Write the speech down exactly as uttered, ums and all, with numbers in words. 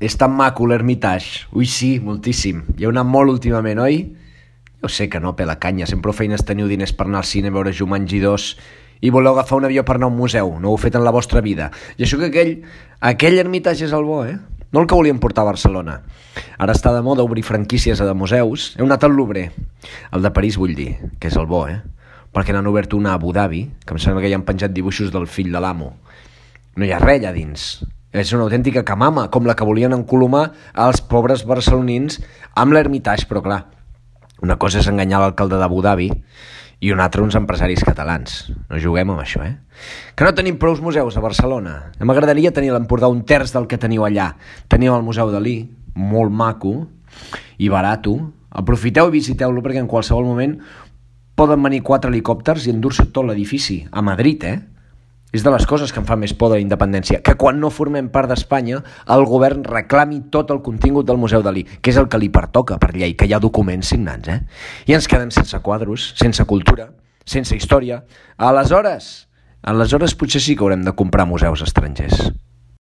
És tan maco l'Hermitage. Ui, sí, moltíssim. Hi heu anat molt últimament, oi? Jo sé que no, pela canya. Sempre prou feines teniu diners per anar al cine, veure Jumanji dos i voleu agafar un avió per anar a un museu. No ho heu fet en la vostra vida. I això que aquell, aquell Hermitage és el bo, eh? No el que volíem portar a Barcelona. Ara està de moda obrir franquícies de museus. Heu anat al Louvre. El de París, vull dir, que és el bo, eh? Perquè n'han obert una a Abu Dhabi, que em sembla que hi han penjat dibuixos del fill de l'amo. No hi ha res allà dins. És una autèntica camama, com la que volien encolomar als pobres barcelonins amb l'Hermitage, però clar, una cosa és enganyar l'alcalde d'Abu Dhabi i una altra uns empresaris catalans. No juguem amb això, eh? Que no tenim prous museus a Barcelona. M'agradaria tenir a l'Empordà un terç del que teniu allà. Teniu el Museu Dalí, molt maco i barato. Aprofiteu i visiteu-lo perquè en qualsevol moment poden venir quatre helicòpters i endur-se tot l'edifici. A Madrid, eh? És de les coses que em fa més por de la independència, que quan no formem part d'Espanya el govern reclami tot el contingut del Museu Dalí, que és el que li pertoca per llei, que hi ha documents signats, eh? I ens quedem sense quadros, sense cultura, sense història. Aleshores, aleshores potser sí que haurem de comprar museus estrangers.